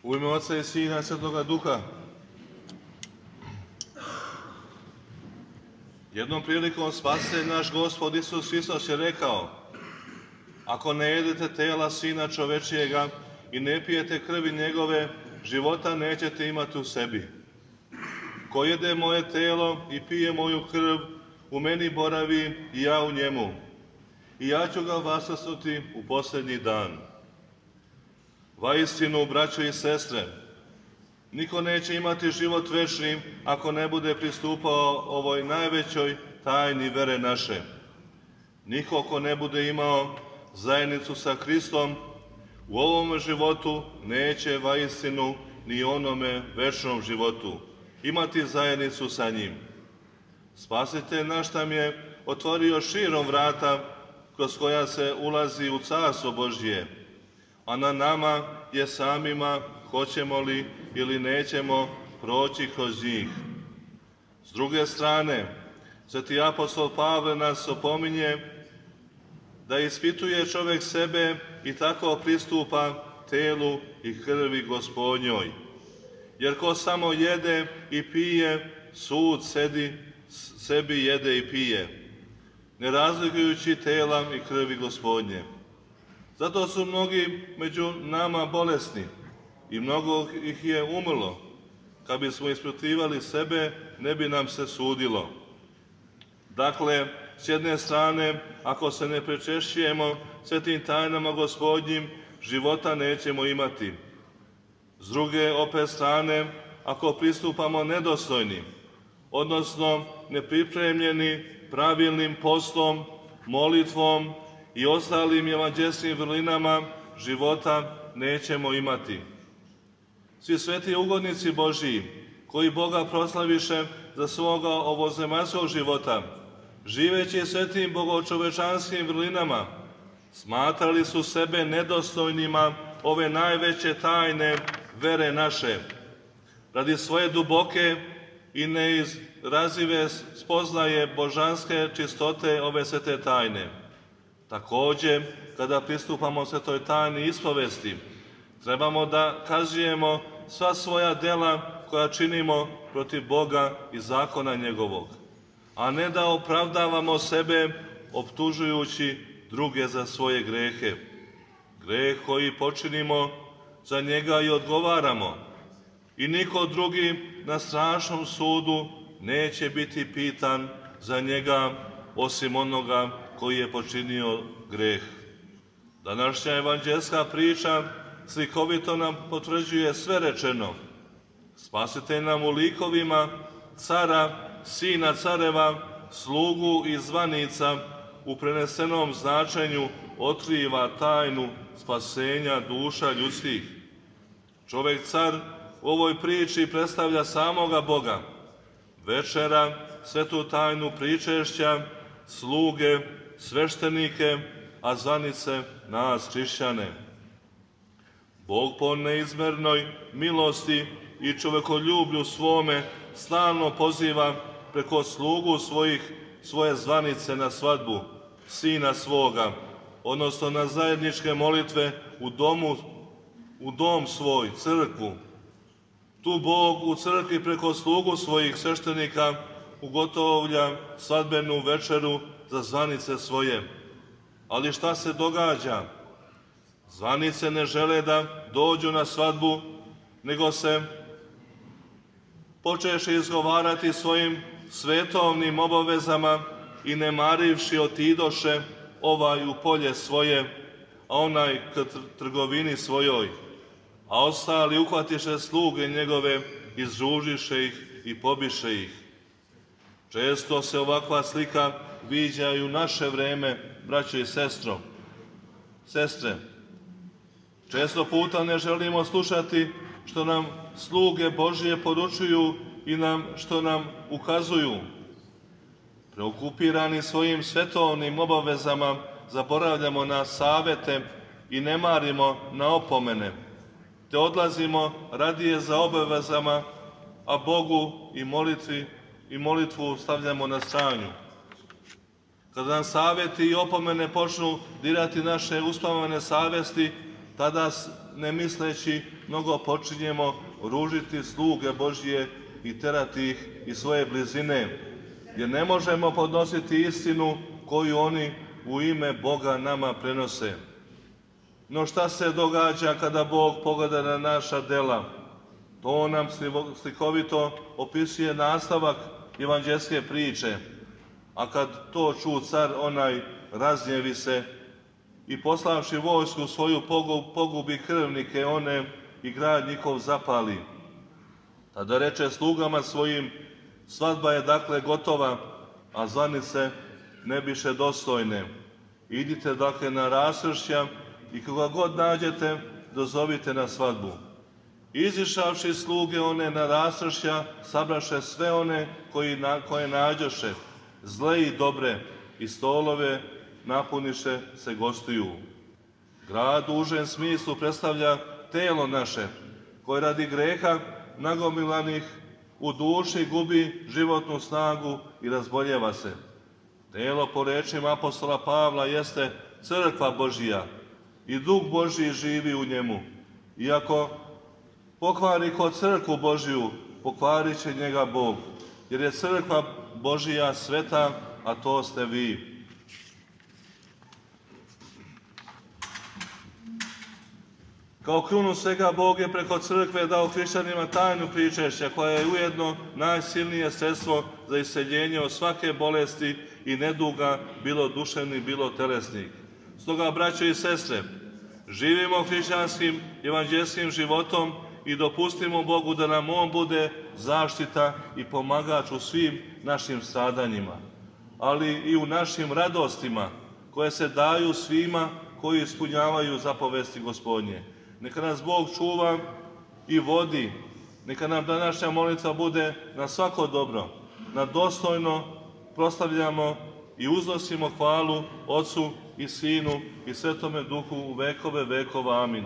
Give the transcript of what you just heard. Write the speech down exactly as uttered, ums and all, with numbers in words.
U ime Oca i Sina i Svetoga Duha. Jednom prilikom Spasitelj naš Gospod Isus Hristos je rekao: ako ne jedete tela Sina čovečijega i ne pijete krvi njegove, života nećete imati u sebi. Ko jede moje telo i pije moju krv, u meni boravi i ja u njemu. I ja ću ga vaskrsnuti u posljednji dan. Vaistinu, braćo i sestre, niko neće imati život večni ako ne bude pristupao ovoj najvećoj tajni vere naše. Niko ko ne bude imao zajednicu sa Hristom u ovom životu neće vaistinu ni onome večnom životu imati zajednicu sa njim. Spasitelj naš nam je otvorio širom vrata kroz koja se ulazi u Carstvo Božje, a na nama je samima hoćemo li ili nećemo proći kroz njih. S druge strane, sveti apostol Pavle nas opominje da ispituje čovjek sebe i tako pristupa telu i krvi Gospodnjoj. Jer ko samo jede i pije, sud sedi, sebi jede i pije, ne razlikujući tela i krvi Gospodnje. Zato su mnogi među nama bolesni i mnogo ih je umrlo. Kad bismo ispitivali sebe, ne bi nam se sudilo. Dakle, s jedne strane, ako se ne prečešćujemo svetim tajnama Gospodnjim, života nećemo imati. S druge opet strane, ako pristupamo nedostojni, odnosno nepripremljeni pravilnim postom, molitvom i ostalim evanđelskim vrlinama, života nećemo imati. Svi sveti ugodnici Božiji, koji Boga proslaviše za svoga ovozemaljskog života, živeći svetim bogočovečanskim vrlinama, smatrali su sebe nedostojnima ove najveće tajne vere naše, radi svoje duboke i neizrazive spoznaje božanske čistote ove svete tajne. Također, kada pristupamo svetoj tajni ispovesti, trebamo da kazujemo sva svoja dela koja činimo protiv Boga i zakona njegovog, a ne da opravdavamo sebe optužujući druge za svoje grehe. Greh koji počinimo, za njega i odgovaramo. I niko drugi na strašnom sudu neće biti pitan za njega osim onoga koji je počinio greh. Današnja evanđelska priča slikovito nam potvrđuje sve rečeno. Spasitelj nam u likovima cara, sina careva, slugu i zvanica u prenesenom značenju otkriva tajnu spasenja duša ljudskih. Čovjek car u ovoj priči predstavlja samoga Boga. Večera svetu tajnu pričešća, sluge, sveštenike, a zvanice nas hrišćane. Bog po neizmernoj milosti i čovekoljublju svome stalno poziva preko slugu svojih svoje zvanice na svadbu sina svoga, odnosno na zajedničke molitve u domu, u dom svoj, crkvu. Tu Bog u crkvi preko slugu svojih sveštenika ugotovlja svadbenu večeru za zvanice svoje. Ali šta se događa? Zvanice ne žele da dođu na svadbu, nego se počeše izgovarati svojim svetovnim obavezama i ne marivši otidoše ovaj u polje svoje, a onaj k trgovini svojoj, a ostali uhvatiše sluge njegove, izružiše ih i pobiše ih. Često se ovakva slika viđa i u naše vreme, braćo i sestro. Sestre, često puta ne želimo slušati što nam sluge Božije poručuju i nam što nam ukazuju. Preokupirani svojim svetovnim obavezama zaboravljamo na savete i ne marimo na opomene, te odlazimo radije za obavezama, a Bogu i molitvi i molitvu stavljamo na stranu. Kada nam savjeti i opomene počnu dirati naše uspavane savesti, tada ne misleći mnogo počinjemo ružiti sluge Božije i terati ih iz svoje blizine, jer ne možemo podnositi istinu koju oni u ime Boga nama prenose. No šta se događa kada Bog pogleda na naša dela? To nam slikovito opisuje nastavak evanđelske priče. A kad to ču car onaj, razgnjevi se i poslavši vojsku svoju pogubi krvnike one i grad njihov zapali. Tada reče slugama svojim, svadba je dakle gotova, a zvanice ne biše dostojne. Idite dakle na raskršća i koga god nađete, dozovite na svadbu. Izišavši sluge one na raskršća, sabraše sve one koji na, koje nađoše, zle i dobre, i stolove napuniše se gostuju. Grad u užem smislu predstavlja telo naše, koje radi greha nagomilanih u duši gubi životnu snagu i razboljeva se. Telo, po rečima apostola Pavla, jeste crkva Božija i Duh Božiji živi u njemu. Iako pokvari ko crkvu Božiju, pokvarit će njega Bog, jer je crkva Božija sveta, a to ste vi. Kao krunu svega Bog je preko crkve dao hrišćanima tajnu pričešća, koja je ujedno najsilnije sredstvo za isceljenje od svake bolesti i neduga, bilo duševnih, bilo telesnih. Stoga, braćo i sestre, živimo hrišćanskim evanđelskim životom i dopustimo Bogu da nam On bude zaštita i pomagač u svim našim stradanjima, ali i u našim radostima koje se daju svima koji ispunjavaju zapovesti Gospodnje. Neka nas Bog čuva i vodi, neka nam današnja molitva bude na svako dobro, na dostojno proslavljamo i uznosimo hvalu Otcu i Sinu i Svetome Duhu u vekove vekova. Amin.